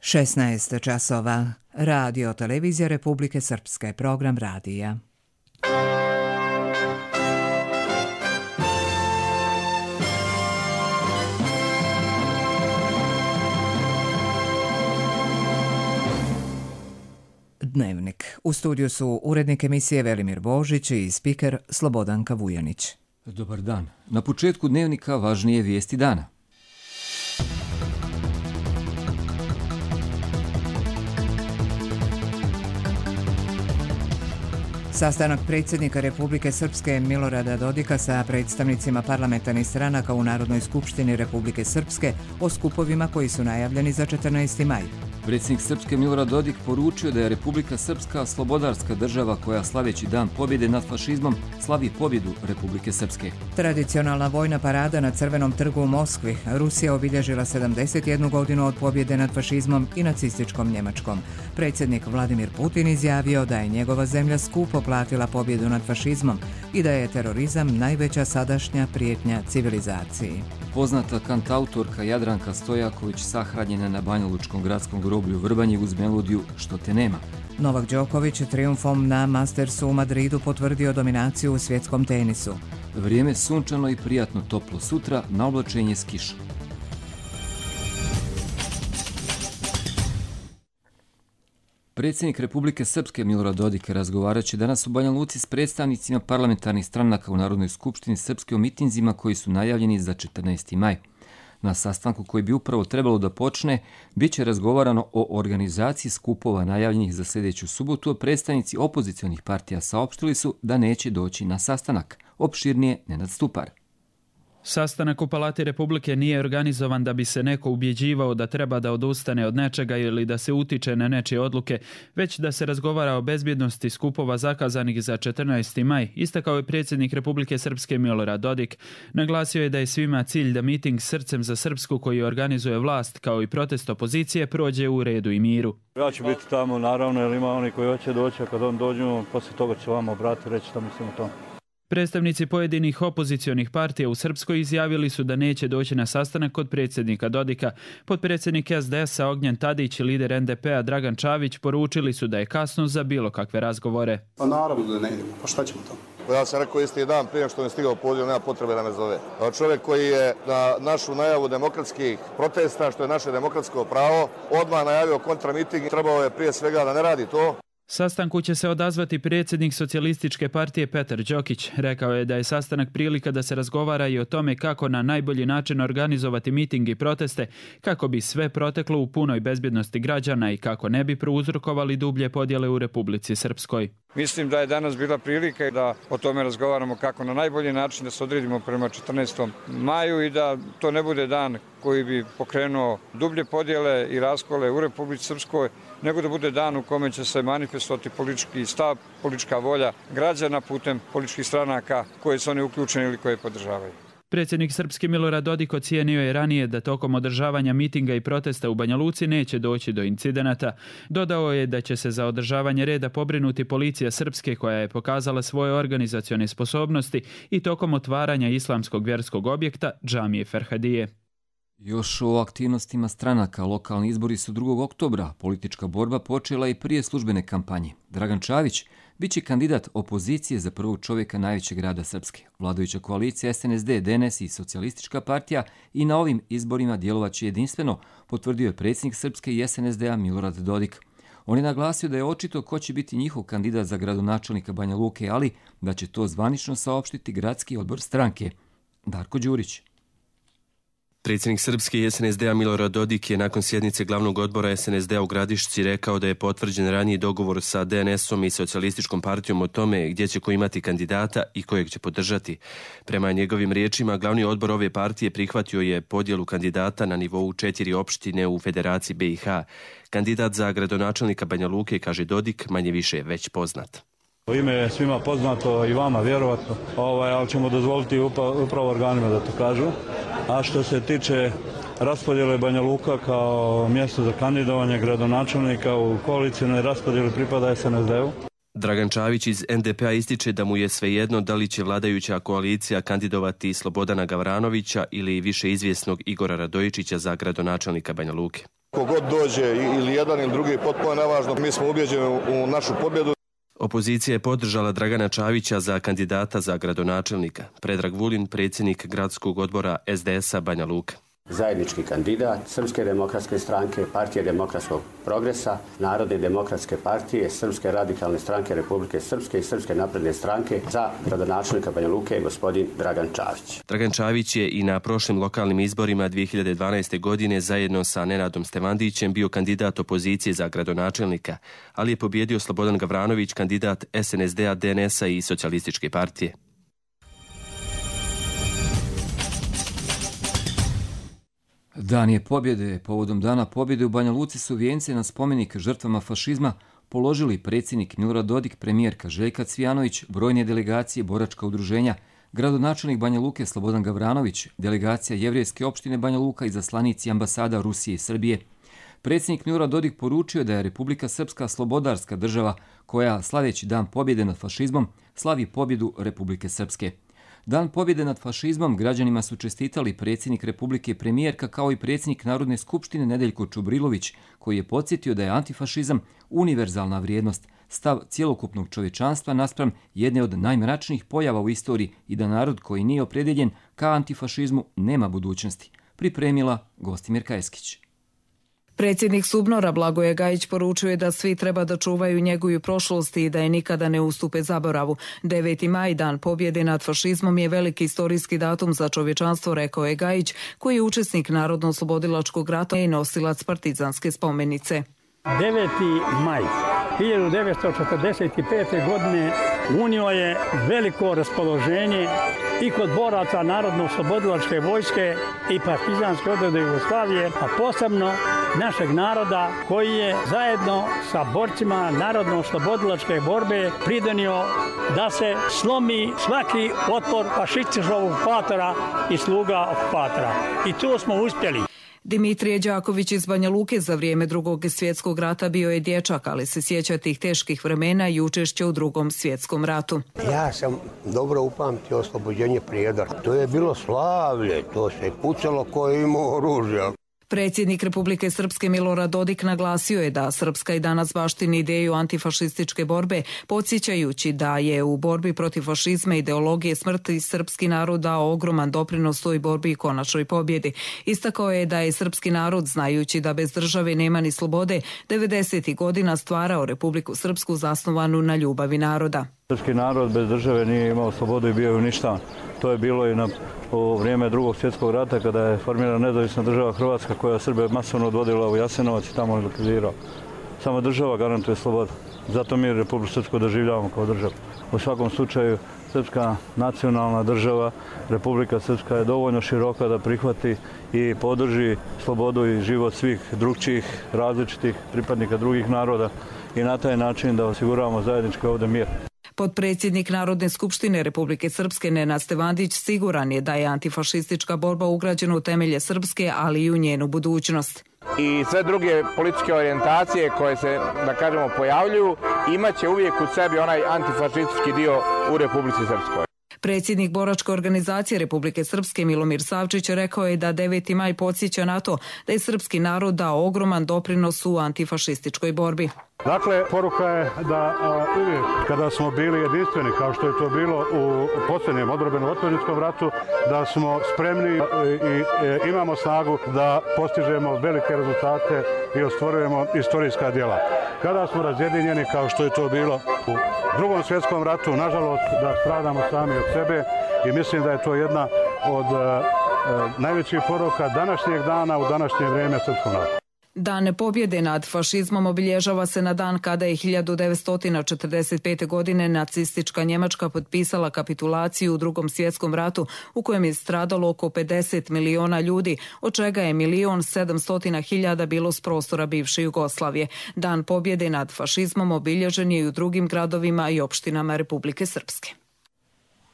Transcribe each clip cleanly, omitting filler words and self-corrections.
16 časova. Radio Televizija Republike Srpske. Program radija. Dnevnik. U studiju su urednik emisije Velimir Božić i spiker Slobodanka Vujanić. Dobar dan. Na početku dnevnika važnije vijesti dana. Sastanak predsjednika Republike Srpske Milorada Dodika sa predstavnicima parlamentarnih stranaka u Narodnoj skupštini Republike Srpske o skupovima koji su najavljeni za 14. maj. Predsjednik Srpske Milorad Dodik poručio da je Republika Srpska slobodarska država koja slaveći dan pobjede nad fašizmom slavi pobjedu Republike Srpske. Tradicionalna vojna parada na Crvenom trgu u Moskvi. Rusija obilježila 71 godinu od pobjede nad fašizmom i nacističkom Njemačkom. Predsjednik Vladimir Putin izjavio da je njegova zemlja skupo platila pobjedu nad fašizmom i da je terorizam najveća sadašnja prijetnja civilizaciji. Poznata kantautorka Jadranka Stojaković sahranjena na Banjalučkom gradskom groblju u Vrbanji uz melodiju Što te nema. Novak Đoković trijumfom na Mastersu u Madridu potvrdio dominaciju u svjetskom tenisu. Vrijeme sunčano i prijatno toplo sutra, na oblačenje s kišom. Predsjednik Republike Srpske Milorad Dodik razgovarat će danas u Banja Luci s predstavnicima parlamentarnih stranaka u Narodnoj skupštini Srpske o mitinzima koji su najavljeni za 14. maj. Na sastanku koji bi upravo trebalo da počne, bit će razgovarano o organizaciji skupova najavljenih za sljedeću subotu, a predstavnici opozicionih partija saopštili su da neće doći na sastanak. Opširnije Nenad Stupar. Sastanak u Palati Republike nije organizovan da bi se neko ubjeđivao da treba da odustane od nečega ili da se utiče na nečije odluke, već da se razgovara o bezbjednosti skupova zakazanih za 14. maj, istakao je predsjednik Republike Srpske Milorad Dodik. Naglasio je da je svima cilj da miting Srcem za Srpsku koji organizuje vlast kao i protest opozicije prođe u redu i miru. Ja ću biti tamo naravno, jer ima oni koji hoće doći, a kad on dođu, poslije toga ću vam obratiti reći što mislim o tom. Predstavnici pojedinih opozicionih partija u Srpskoj izjavili su da neće doći na sastanak kod predsjednika Dodika. Potpredsjednik SDS-a Ognjen Tadić i lider NDP-a Dragan Čavić poručili su da je kasno za bilo kakve razgovore. Pa naravno da ne idemo, pa šta ćemo to? Ja sam rekao isti dan prije što mi je stigao poziv, nema potrebe da me zove. Čovjek koji je na našu najavu demokratskih protesta, što je naše demokratsko pravo, odmah najavio kontramiting, trebao je prije svega da ne radi to. Sastanku će se odazvati predsjednik Socijalističke partije Petar Đokić. Rekao je da je sastanak prilika da se razgovara i o tome kako na najbolji način organizovati miting i proteste, kako bi sve proteklo u punoj bezbjednosti građana i kako ne bi prouzrokovali dublje podjele u Republici Srpskoj. Mislim da je danas bila prilika da o tome razgovaramo kako na najbolji način da se odredimo prema 14. maju i da to ne bude dan koji bi pokrenuo dublje podjele i raskole u Republici Srpskoj, nego da bude dan u kome će se manifestovati politički stav, politička volja građana putem političkih stranaka koje su oni uključeni ili koje podržavaju. Predsjednik Srpske Milorad Dodik ocijenio je ranije da tokom održavanja mitinga i protesta u Banja Luci neće doći do incidenata. Dodao je da će se za održavanje reda pobrinuti policija Srpske koja je pokazala svoje organizacione sposobnosti i tokom otvaranja islamskog vjerskog objekta džamije Ferhadije. Još o aktivnostima stranaka. Lokalni izbori su 2. oktobra. Politička borba počela i prije službene kampanje. Dragan Čavić bit će kandidat opozicije za prvog čovjeka najvećeg grada Srpske. Vladajuća koalicija SNSD, DNS i Socijalistička partija i na ovim izborima djelovaće jedinstveno, potvrdio je predsjednik Srpske i SNSD-a Milorad Dodik. On je naglasio da je očito ko će biti njihov kandidat za gradonačelnika Banja Luke, ali da će to zvanično saopštiti gradski odbor stranke. Darko Đurić. Predsjednik Srpske i SNSD-a Milorad Dodik je nakon sjednice glavnog odbora SNSD-a u Gradišci rekao da je potvrđen raniji dogovor sa DNS-om i Socijalističkom partijom o tome gdje će ko imati kandidata i kojeg će podržati. Prema njegovim riječima, glavni odbor ove partije prihvatio je podjelu kandidata na nivou 4 opštine u Federaciji BiH. Kandidat za gradonačelnika Banja Luke, kaže Dodik, manje više već poznat. Ime je svima poznato i vama vjerovatno, ali ćemo dozvoliti upravo organima da to kažu. A što se tiče raspodjele Banja Luka kao mjesto za kandidovanje gradonačelnika u koalicijnoj raspodjeli pripada SNSD-u. Dragan Čavić iz NDP-a ističe da mu je svejedno da li će vladajuća koalicija kandidovati Slobodana Gavranovića ili više izvjesnog Igora Radojičića za gradonačelnika Banja Luke. Kogod dođe ili jedan ili drugi, potpuno je nevažno, mi smo ubeđeni u našu pobjedu. Opozicija je podržala Dragana Čavića za kandidata za gradonačelnika. Predrag Vulin, predsjednik gradskog odbora SDS-a Banja Luka. Zajednički kandidat Srpske demokratske stranke, Partije demokratskog progresa, Narodne demokratske partije, Srpske radikalne stranke Republike Srpske i Srpske napredne stranke za gradonačelnika Banja Luke gospodin Dragan Čavić. Dragan Čavić je i na prošlim lokalnim izborima 2012. godine zajedno sa Nenadom Stevandićem bio kandidat opozicije za gradonačelnika, ali je pobjedio Slobodan Gavranović, kandidat SNSD-a, DNS-a i Socijalističke partije. Dan je pobjede. Povodom Dana pobjede u Banja Luci su vijence na spomenik žrtvama fašizma položili predsjednik Milorad Dodik, premijerka Željka Cvijanović, brojne delegacije, boračka udruženja, gradonačelnik Banja Luke Slobodan Gavranović, delegacija Jevrejske opštine Banja Luka i zaslanici ambasada Rusije i Srbije. Predsjednik Milorad Dodik poručio da je Republika Srpska slobodarska država koja, slaveći Dan pobjede nad fašizmom, slavi pobjedu Republike Srpske. Dan pobjede nad fašizmom građanima su čestitali predsjednik Republike, premijerka, kao i predsjednik Narodne skupštine Nedeljko Čubrilović, koji je podsjetio da je antifašizam univerzalna vrijednost, stav cjelokupnog čovječanstva naspram jedne od najmračnijih pojava u istoriji i da narod koji nije opredeljen ka antifašizmu nema budućnosti. Pripremila Gostimir Kajeskić. Predsjednik Subnora Blagoje Gajić poručuje da svi treba da čuvaju njegovu prošlost i da je nikada ne ustupe zaboravu. 9. maj, Dan pobjede nad fašizmom, je veliki istorijski datum za čovječanstvo, rekao je Gajić, koji je učesnik Narodno-oslobodilačkog rata i nosilac partizanske spomenice. 9. maj 1945. godine unio je veliko raspoloženje i kod boraca Narodno-oslobodilačke vojske i partizanske odrede Jugoslavije, a posebno našeg naroda koji je zajedno sa borcima Narodno-oslobodilačke borbe pridonio da se slomi svaki otpor fašističkog okupatora i sluga okupatora. I tu smo uspjeli. Dimitrije Đaković iz Banja Luke za vrijeme Drugog svjetskog rata bio je dječak, ali se sjeća tih teških vremena i učešća u Drugom svjetskom ratu. Ja sam dobro upamtio oslobođenje Prijedora. To je bilo slavlje, to se pucalo ko je imao oružja. Predsjednik Republike Srpske Milorad Dodik naglasio je da Srpska i danas baštini ideju antifašističke borbe, podsjećajući da je u borbi protiv fašizma i ideologije smrti srpski narod dao ogroman doprinos toj borbi i konačnoj pobjedi. Istakao je da je srpski narod, znajući da bez države nema ni slobode, 90. godina stvarao Republiku Srpsku zasnovanu na ljubavi naroda. Srpski narod bez države nije imao slobodu i bio je uništavan. To je bilo i u vrijeme Drugog svjetskog rata kada je formirana nezavisna država Hrvatska koja Srbe masovno odvodila u Jasenovac i tamo likvidirao. Samo država garantuje slobodu. Zato mi Republiku Srpsku doživljavamo kao državu. U svakom slučaju srpska nacionalna država, Republika Srpska je dovoljno široka da prihvati i podrži slobodu i život svih drugčijih, različitih pripadnika drugih naroda i na taj način da osiguravamo zajednički ovdje mir. Potpredsjednik Narodne skupštine Republike Srpske Nenad Stevandić siguran je da je antifašistička borba ugrađena u temelje Srpske, ali i u njenu budućnost. I sve druge političke orijentacije koje se, da kažemo, pojavljuju, imaće uvijek u sebi onaj antifašistički dio u Republici Srpskoj. Predsjednik boračke organizacije Republike Srpske Milomir Savčić rekao je da 9. maj podsjeća na to da je srpski narod dao ogroman doprinos u antifašističkoj borbi. Dakle, poruka je da uvijek kada smo bili jedinstveni, kao što je to bilo u posljednjem odbrambeno-otadžbinskome ratu, da smo spremni i imamo snagu da postižemo velike rezultate i ostvarujemo istorijska djela. Kada smo razjedinjeni, kao što je to bilo u Drugom svjetskom ratu, nažalost da stradamo sami od sebe i mislim da je to jedna od najvećih poruka današnjeg dana u današnje vrijeme srpskom narodu. Dan pobjede nad fašizmom obilježava se na dan kada je 1945. godine nacistička Njemačka potpisala kapitulaciju u Drugom svjetskom ratu u kojem je stradalo oko 50 miliona ljudi, od čega je 1.700.000 bilo s prostora bivše Jugoslavije. Dan pobjede nad fašizmom obilježen je i u drugim gradovima i opštinama Republike Srpske.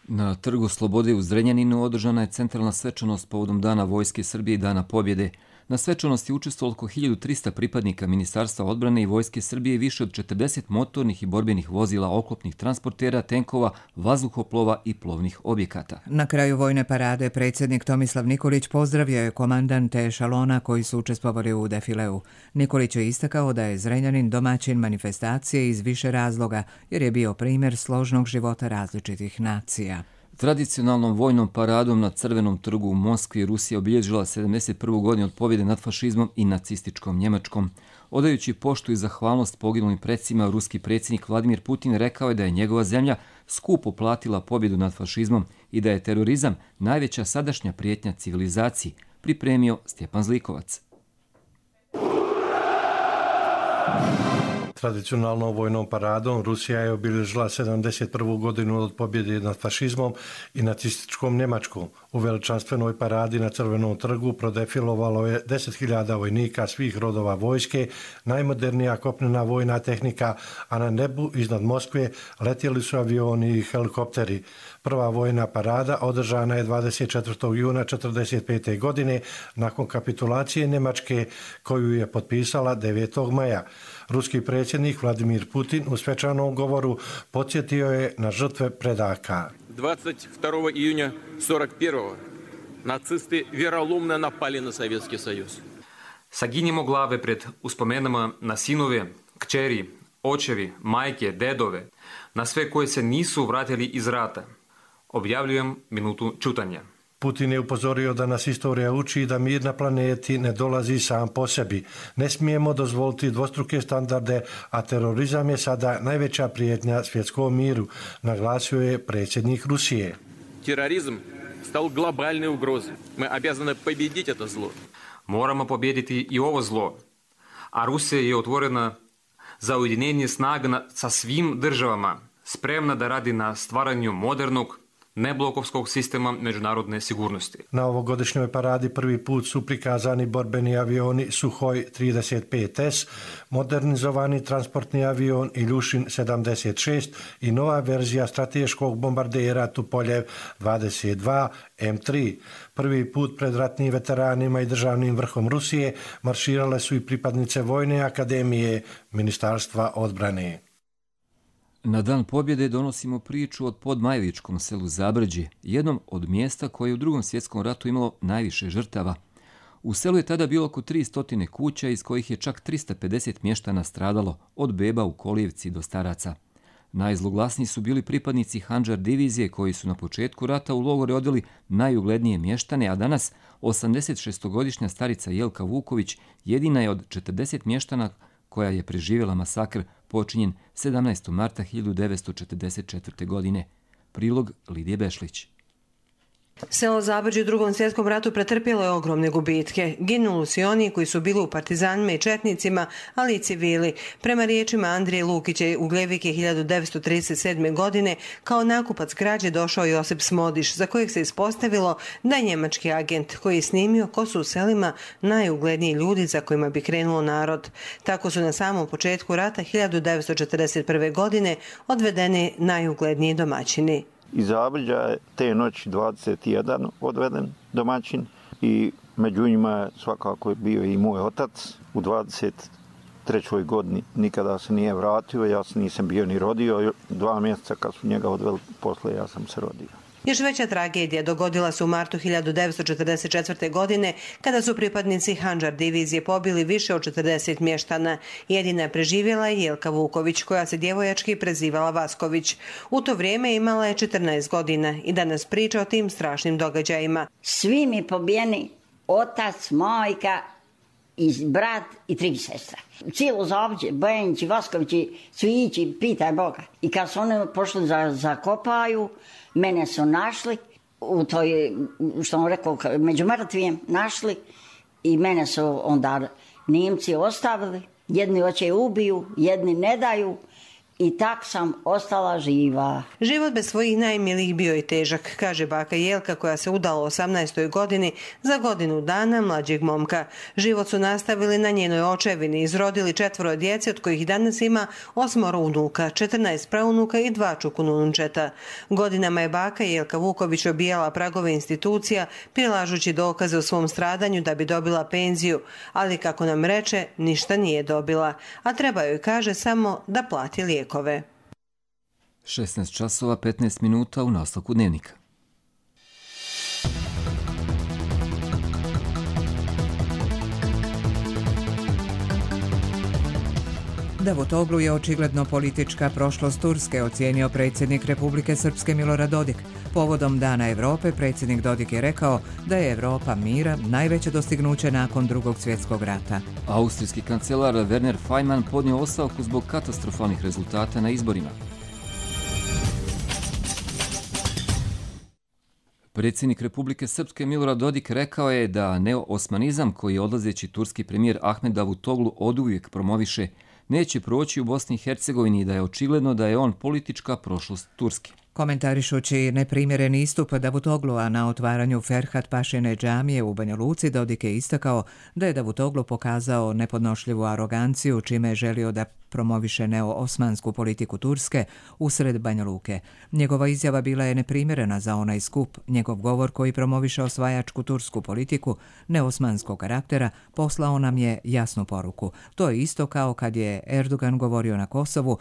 Na Trgu Slobode u Zrenjaninu održana je centralna svečanost povodom Dana Vojske Srbije i Dana pobjede. Na svečanosti učestvovalo oko 1300 pripadnika Ministarstva odbrane i Vojske Srbije i više od 40 motornih i borbenih vozila, oklopnih transportera, tenkova, vazduhoplova i plovnih objekata. Na kraju vojne parade predsjednik Tomislav Nikolić pozdravio je komandante ešalona koji su učestvovali u defileu. Nikolić je istakao da je Zrenjanin domaćin manifestacije iz više razloga, jer je bio primjer složnog života različitih nacija. Tradicionalnom vojnom paradom na Crvenom trgu u Moskvi Rusija obilježila 71. godinu od pobjede nad fašizmom i nacističkom Njemačkom. Odajući poštu i zahvalnost poginulim predsima, ruski predsjednik Vladimir Putin rekao je da je njegova zemlja skupo platila pobjedu nad fašizmom i da je terorizam najveća sadašnja prijetnja civilizaciji, pripremio Stjepan Zlikovac. Tradicionalnom vojnom paradom Rusija je obilježila 71. godinu od pobjede nad fašizmom i nacističkom Njemačkom. U veličanstvenoj paradi na Crvenom trgu prodefilovalo je 10.000 vojnika svih rodova vojske, najmodernija kopnena vojna tehnika, a na nebu iznad Moskve letjeli su avioni i helikopteri. Prva vojna parada održana je 24. juna 1945. godine nakon kapitulacije Njemačke koju je potpisala 9. maja. Ruski predsjednik Vladimir Putin u svečanom govoru podsjetio je na žrtve predaka. 22. июня 41. nacisti vjerolomno napali na Sovjetski Sojuz. Saginimo glave pred uspomenama na sinove, kćeri, očevi, majke, dedove, na sve koje se nisu vratili iz rata. Objavljujem minutu čutanja. Putin je upozorio da nas istorija uči da mir na planeti ne dolazi sam po sebi. Ne smijemo dozvoliti dvostruke standarde, a terorizam je sada najveća prijetnja svjetskom miru, naglasio je predsjednik Rusije. Terorizam stal globalne ugroze. Mi obязаны победить это zlo. Moramo pobijediti i ovo zlo. A Rusija je otvorena za ujedinjenje snaga sa svim državama, spremna da radi na stvaranju modernog, neblokovskog sistema međunarodne sigurnosti. Na ovogodišnjoj paradi prvi put su prikazani borbeni avioni Suhoj 35S, modernizovani transportni avion Iljušin 76 i nova verzija strateškog bombardera Tupoljev 22 M3. Prvi put pred ratnim veteranima i državnim vrhom Rusije marširale su i pripadnice Vojne akademije Ministarstva odbrane. Na dan pobjede donosimo priču od podmajličkom selu Zabrđe, jednom od mjesta koje je u Drugom svjetskom ratu imalo najviše žrtava. U selu je tada bilo oko 300 kuća, iz kojih je čak 350 mještana stradalo, od beba u kolijevci do staraca. Najzloglasniji su bili pripadnici Handžar divizije koji su na početku rata u logore odveli najuglednije mještane, a danas 86-godišnja starica Jelka Vuković jedina je od 40 mještana koja je preživjela masakr počinjen 17. marta 1944. godine. Prilog Lidije Bešlić. Selo Zabrđe u Drugom svjetskom ratu pretrpjelo je ogromne gubitke. Ginuli su i oni koji su bili u partizanima i četnicima, ali i civili. Prema riječima Andrije Lukića, u Gljevike 1937. godine kao nakupac građe došao Josip Smodiš, za kojeg se ispostavilo da je njemački agent koji je snimio ko su u selima najugledniji ljudi za kojima bi krenuo narod. Tako su na samom početku rata 1941. godine odvedeni najugledniji domaćini. Iz Zabrđa je te noći 21 odveden domaćin i među njima je svakako bio i moj otac. U 23. godini nikada se nije vratio, ja se nisam bio ni rodio. 2 mjeseca kad su njega odveli, posle ja sam se rodio. Još veća tragedija dogodila se u martu 1944. godine kada su pripadnici Handžar divizije pobili više od 40 mještana. Jedina je preživjela je Jelka Vuković, koja se djevojački prezivala Vasković. U to vrijeme imala je 14 godina i danas priča o tim strašnim događajima. Svi mi pobijeni, otac, majka, i brat i 3 sestre. Cijelo Zabrđe, Bojanići, Vaskovići, Cvijići, pitaj Boga. I kad su oni pošli za kopaju, mene su našli, u toj, što on rekao, među mrtvijem našli i mene su onda Nimci ostavili. Jedni hoće ubiju, jedni ne daju i tak sam ostala živa. Život bez svojih najmilijih bio je težak, kaže baka Jelka koja se udala u 18. godini za godinu dana mlađeg momka. Život su nastavili na njenoj očevini, izrodili 4 djece od kojih danas ima 8 unuka, 14 praunuka i 2 čukununčeta. Godinama je baka Jelka Vuković obijala pragove institucija, prilažući dokaze o svom stradanju da bi dobila penziju, ali kako nam reče, ništa nije dobila, a treba joj, kaže, samo da plati lijekove. 16 časova 15 minuta u nastavku dnevnika. Davutoglu je očigledno politička prošlost Turske, ocijenio predsjednik Republike Srpske Milorad Dodik. Povodom Dana Europe predsjednik Dodik je rekao da je Europa mira najveće dostignuće nakon Drugog svjetskog rata. Austrijski kancelar Werner Faymann podnio ostavku zbog katastrofalnih rezultata na izborima. Predsjednik Republike Srpske Milorad Dodik rekao je da neoosmanizam koji je odlazeći turski premijer Ahmed Davutoglu oduvijek promoviše neće proći u Bosni i Hercegovini i da je očigledno da je on politička prošlost Turske. Komentarišući neprimjereni istup Davutoglua na otvaranju Ferhat Pašine džamije u Banja Luci, Dodik je istakao da je Davutoglu pokazao nepodnošljivu aroganciju čime je želio da promoviše neo-osmansku politiku Turske usred Banja Luke. Njegova izjava bila je neprimjerena za onaj skup. Njegov govor koji promoviše osvajačku tursku politiku neosmanskog karaktera poslao nam je jasnu poruku. To je isto kao kad je Erdogan govorio na Kosovu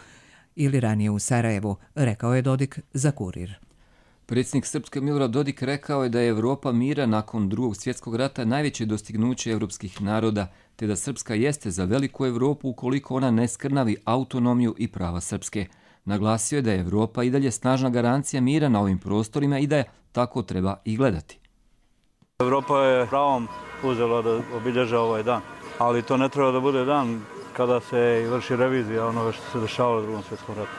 ili ranije u Sarajevu, rekao je Dodik za Kurir. Predsjednik Srpske Milorad Dodik rekao je da je Europa mira nakon Drugog svjetskog rata najveće dostignuće evropskih naroda, te da Srpska jeste za veliku Europu ukoliko ona ne skrnavi autonomiju i prava Srpske. Naglasio je da je Europa i dalje snažna garancija mira na ovim prostorima i da je tako treba i gledati. Europa je pravom uzela da obilježa ovaj dan, ali to ne treba da bude dan kada se vrši revizija onoga što se dešavalo u Drugom svjetskom ratu.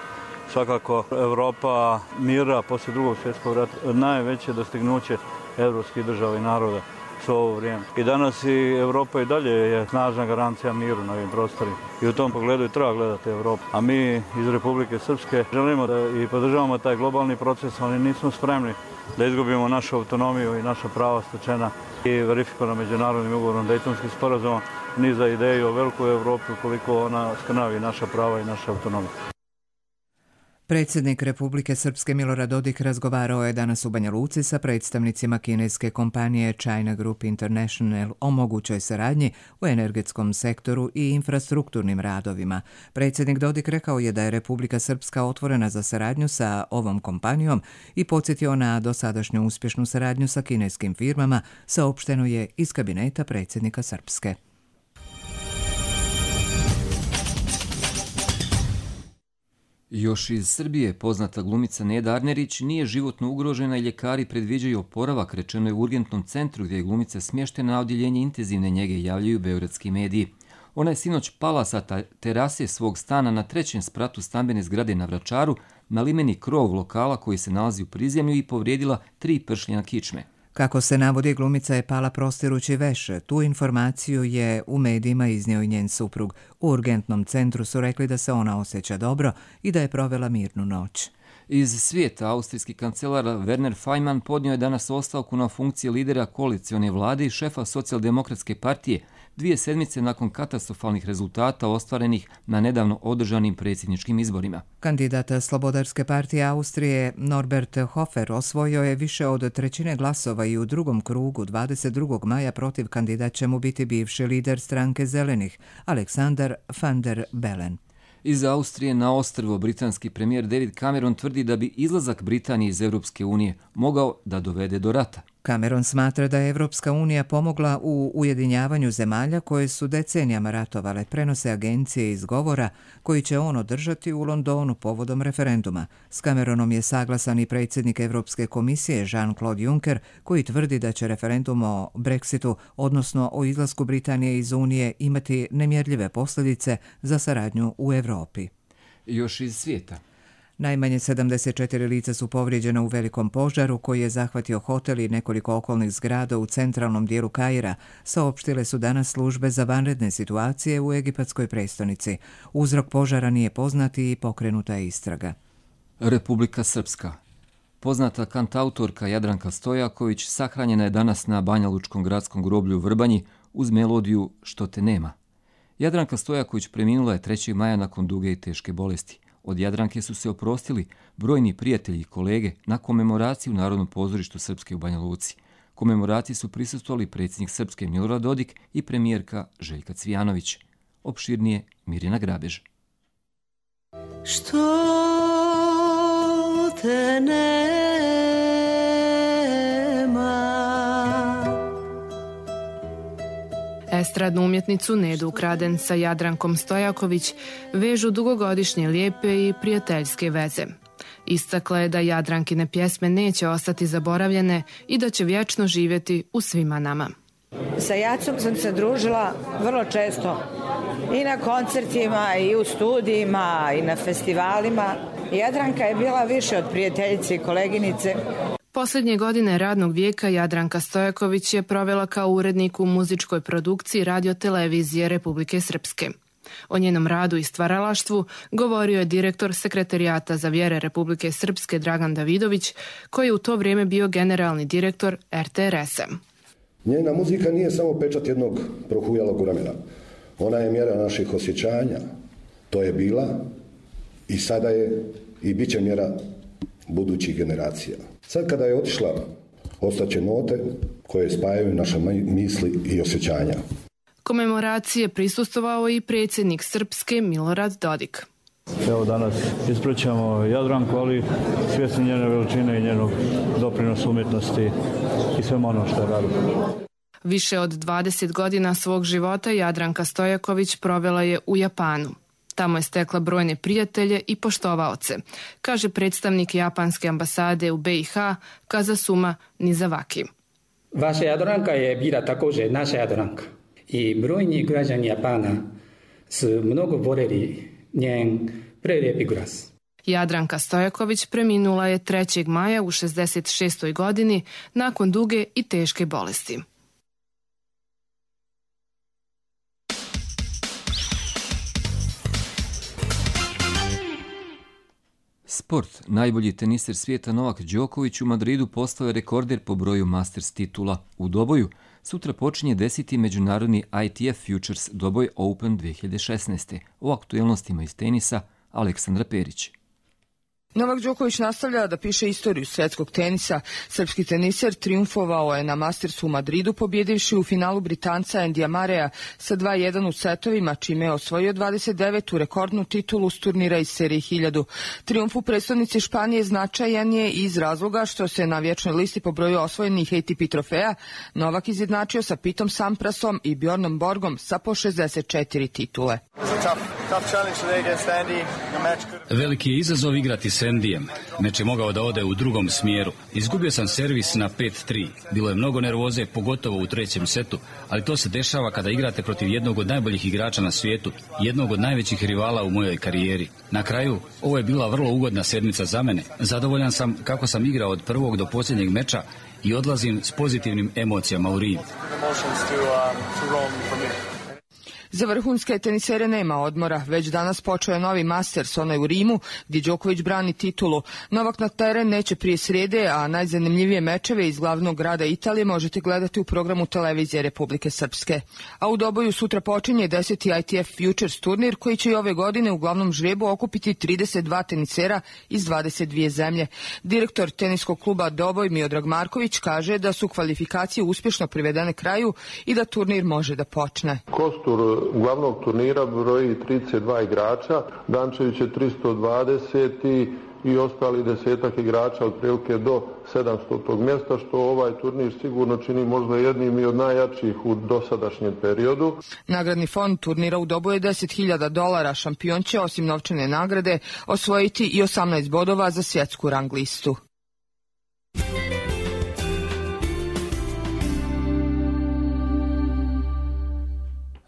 Svakako, Europa mira poslije Drugog svjetskog rata najveće dostignuće evropskih država i naroda su ovo vrijeme. I danas i Europa i dalje je snažna garancija miru na ovim prostorima. I u tom pogledu i treba gledati Evropu. A mi iz Republike Srpske želimo da i podržavamo taj globalni proces, ali nismo spremni da izgubimo našu autonomiju i naša prava stečena i verifikovana međunarodnim ugovorom Dejtonskih sporazuma, ni za ideju o velikoj Evropi ukoliko ona skrnavi naša prava i naša autonomija. Predsjednik Republike Srpske Milorad Dodik razgovarao je danas u Banja Luci sa predstavnicima kineske kompanije China Group International o mogućoj saradnji u energetskom sektoru i infrastrukturnim radovima. Predsjednik Dodik rekao je da je Republika Srpska otvorena za saradnju sa ovom kompanijom i podsjetio na dosadašnju uspješnu saradnju sa kineskim firmama, saopšteno je iz kabineta predsjednika Srpske. Još iz Srbije poznata glumica Neda Arnerić nije životno ugrožena i ljekari predviđaju oporavak, rečeno je u urgentnom centru gdje je glumica smještena na odjeljenje intenzivne njege, javljaju beogradski mediji. Ona je sinoć pala sa terase svog stana na 3. spratu stambene zgrade na Vračaru na limeni krov lokala koji se nalazi u prizemlju i povrijedila 3 pršljena kičme. Kako se navodi, glumica je pala prostirući veš. Tu informaciju je u medijima iznio i njen suprug. U urgentnom centru su rekli da se ona osjeća dobro i da je provela mirnu noć. Iz svijeta, austrijski kancelar Werner Faymann podnio je danas ostavku na funkcije lidera koalicione vlade i šefa socijaldemokratske partije 2 sedmice nakon katastrofalnih rezultata ostvarenih na nedavno održanim predsjedničkim izborima. Kandidat Slobodarske partije Austrije Norbert Hofer osvojio je više od 1/3 glasova i u drugom krugu 22. maja protiv kandidat će mu biti bivši lider stranke Zelenih, Alexander van der Bellen. Iz Austrije na ostrvo britanski premijer David Cameron tvrdi da bi izlazak Britanije iz Europske unije mogao da dovede do rata. Cameron smatra da je Evropska unija pomogla u ujedinjavanju zemalja koje su decenijama ratovale, prenose agencije iz govora koji će on održati u Londonu povodom referenduma. S Cameronom je saglasan i predsjednik Evropske komisije Jean-Claude Juncker koji tvrdi da će referendum o Brexitu, odnosno o izlasku Britanije iz Unije, imati nemjerljive posljedice za saradnju u Europi. Još iz svijeta. Najmanje 74 lica su povrijeđena u velikom požaru koji je zahvatio hotel i nekoliko okolnih zgrada u centralnom dijelu Kaira, saopštile su danas službe za vanredne situacije u egipatskoj prestonici. Uzrok požara nije poznat i pokrenuta je istraga. Republika Srpska. Poznata kantautorka Jadranka Stojaković sahranjena je danas na Banjalučkom gradskom groblju u Vrbanji uz melodiju Što te nema. Jadranka Stojaković preminula je 3. maja nakon duge i teške bolesti. Od Jadranke su se oprostili brojni prijatelji i kolege na komemoraciji u Narodnom pozorištu Srpske u Banja Luci. Komemoraciji su prisustvovali predsjednik Srpske Milorad Dodik i premijerka Željka Cvijanović. Opširnije Mirjana Grabež. Što te nema. Estradnu umjetnicu Nedu Ukraden sa Jadrankom Stojaković vežu dugogodišnje lijepe i prijateljske veze. Istakla je da Jadrankine pjesme neće ostati zaboravljene i da će vječno živjeti u svima nama. Sa Jacom sam se družila vrlo često i na koncertima i u studijima i na festivalima. Jadranka je bila više od prijateljice i koleginice. Posljednje godine radnog vijeka Jadranka Stojaković je provela kao urednik u muzičkoj produkciji Radio-televizije Republike Srpske. O njenom radu i stvaralaštvu govorio je direktor Sekretarijata za vjere Republike Srpske Dragan Davidović, koji je u to vrijeme bio generalni direktor RTRS-a. Njena muzika nije samo pečat jednog prohujalog vremena. Ona je mjera naših osjećanja. To je bila i sada je i bit će mjera budućih generacija. Sad kada je otišla, ostaće note koje spajaju naše misli i osjećanja. Komemoracije prisustvovao i predsjednik Srpske Milorad Dodik. Evo danas ispraćamo Jadranku, ali svjesni njene veličine i njenog doprinosa umjetnosti i sve ono što je radila. Više od 20 godina svog života Jadranka Stojaković provela je u Japanu. Tamo je stekla brojne prijatelje i poštovaoce, kaže predstavnik japanske ambasade u BiH Kazasuma Nizawaki. Vaša Jadranka je bila također naša Jadranka i brojni građani Japana su mnogo voljeli njen prelijepi glas. Jadranka Stojaković preminula je 3. maja u 66. godini nakon duge i teške bolesti. Sport. Najbolji teniser svijeta Novak Đoković u Madridu postao je rekorder po broju Masters titula. U doboju sutra počinje 10. međunarodni ITF Futures Doboj Open 2016. O aktualnostima iz tenisa Aleksandra Perić. Novak Đoković nastavlja da piše istoriju svjetskog tenisa. Srpski teniser triumfovao je na Mastersu u Madridu, pobjedivši u finalu Britanca Andyja Murraya sa 2-1 u setovima, čime je osvojio 29. rekordnu titulu s turnira iz serije 1000. Triumf u predstavnici Španije značajan je iz razloga što se na vječnoj listi po broju osvojenih ATP trofeja Novak izjednačio sa Pitom Samprasom i Bjornom Borgom sa po 64 titule. Veliki je izazov igrati s Andyjem. Meč je mogao da ode u drugom smjeru. Izgubio sam servis na 5-3. Bilo je mnogo nervoze, pogotovo u 3. setu, ali to se dešava kada igrate protiv jednog od najboljih igrača na svijetu, jednog od najvećih rivala u mojoj karijeri. Na kraju, ovo je bila vrlo ugodna sedmica za mene. Zadovoljan sam kako sam igrao od prvog do posljednjeg meča i odlazim s pozitivnim emocijama u ring. Za vrhunske tenisere nema odmora. Već danas počeo je novi Masters, onaj u Rimu, gdje Đoković brani titulu. Novak na teren neće prije srijede, a najzanimljivije mečeve iz glavnog grada Italije možete gledati u programu televizije Republike Srpske. A u doboju sutra počinje 10. ITF Futures turnir, koji će i ove godine u glavnom žrebu okupiti 32 tenisera iz 22 zemlje. Direktor teniskog kluba Doboj Miodrag Marković kaže da su kvalifikacije uspješno privedene kraju i da turnir može da počne. Kostur glavnog turnira broji 32 igrača, Dančević je 320 i ostali 10 igrača otprilike do 700. mjesta, što ovaj turnir sigurno čini možda jednim i od najjačih u dosadašnjem periodu. Nagradni fond turnira u Doboju je $10.000. Šampion će osim novčane nagrade osvojiti i 18 bodova za svjetsku rang listu.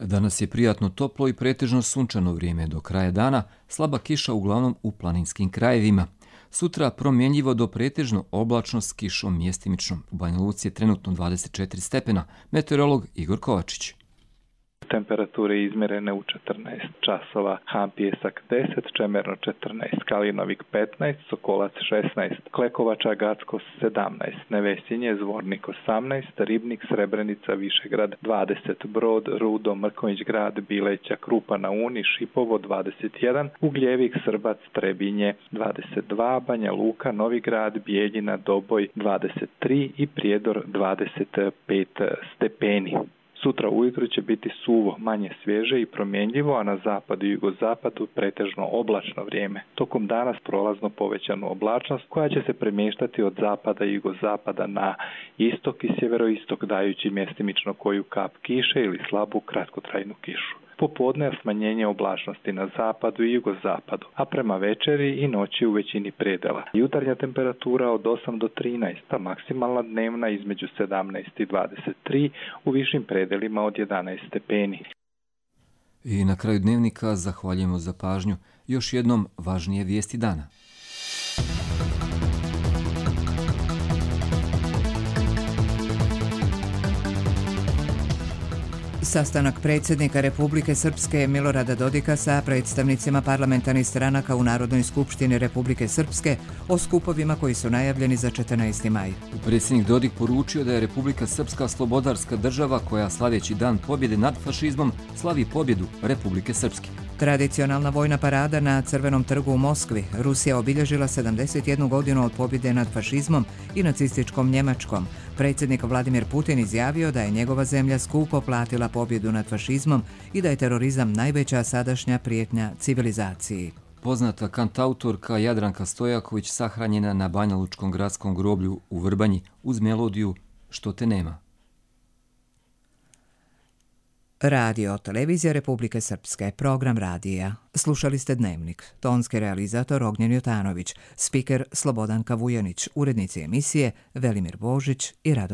Danas je prijatno toplo i pretežno sunčano vrijeme. Do kraja dana slaba kiša uglavnom u planinskim krajevima. Sutra promjenjivo do pretežno oblačno s kišom mjestimično. U Banja Luci je trenutno 24 stepena. Meteorolog Igor Kovačić. Temperature izmjerene u 14 časova. Han Pijesak 10, Čemerno 14, Kalinovik 15, Sokolac 16, Klekovača Gacko 17, Nevesinje, Zvornik 18, Ribnik, Srebrenica, Višegrad 20, Brod, Rudo, Mrkonjić Grad, Bileća, Krupa na Uni, Šipovo 21, Ugljevik, Srbac, Trebinje 22, Banja Luka, Novi Grad, Bijeljina, Doboj 23 i Prijedor 25 stepeni. Sutra ujutro će biti suvo, manje svježe i promjenljivo, a na zapadu i jugozapadu pretežno oblačno vrijeme. Tokom dana prolazno povećanu oblačnost koja će se premještati od zapada i jugozapada na istok i sjeveroistok, dajući mjestimično koju kap kiše ili slabu kratkotrajnu kišu. Popodne smanjenje oblačnosti na zapadu i jugozapadu, a prema večeri i noći u većini predela. Jutarnja temperatura od 8 do 13, a maksimalna dnevna između 17 i 23, u višim predelima od 11 stepeni. I na kraju dnevnika zahvaljujemo za pažnju. Još jednom važnije vijesti dana. Sastanak predsjednika Republike Srpske Milorada Dodika sa predstavnicima parlamentarnih stranaka u Narodnoj skupštini Republike Srpske o skupovima koji su najavljeni za 14. maj. Predsjednik Dodik poručio da je Republika Srpska slobodarska država koja slaveći dan pobjede nad fašizmom slavi pobjedu Republike Srpske. Tradicionalna vojna parada na Crvenom trgu u Moskvi. Rusija obilježila 71 godinu od pobjede nad fašizmom i nacističkom Njemačkom. Predsjednik Vladimir Putin izjavio da je njegova zemlja skupo platila pobjedu nad fašizmom i da je terorizam najveća sadašnja prijetnja civilizaciji. Poznata kantautorka Jadranka Stojaković sahranjena na Banjalučkom gradskom groblju u Vrbanji uz melodiju Što te nema. Radio Televizija Republike Srpske, program radija. Slušali ste Dnevnik. Tonski realizator Ognjen Jotanović, spiker Slobodanka Vujanić, urednici emisije Velimir Božić i Rado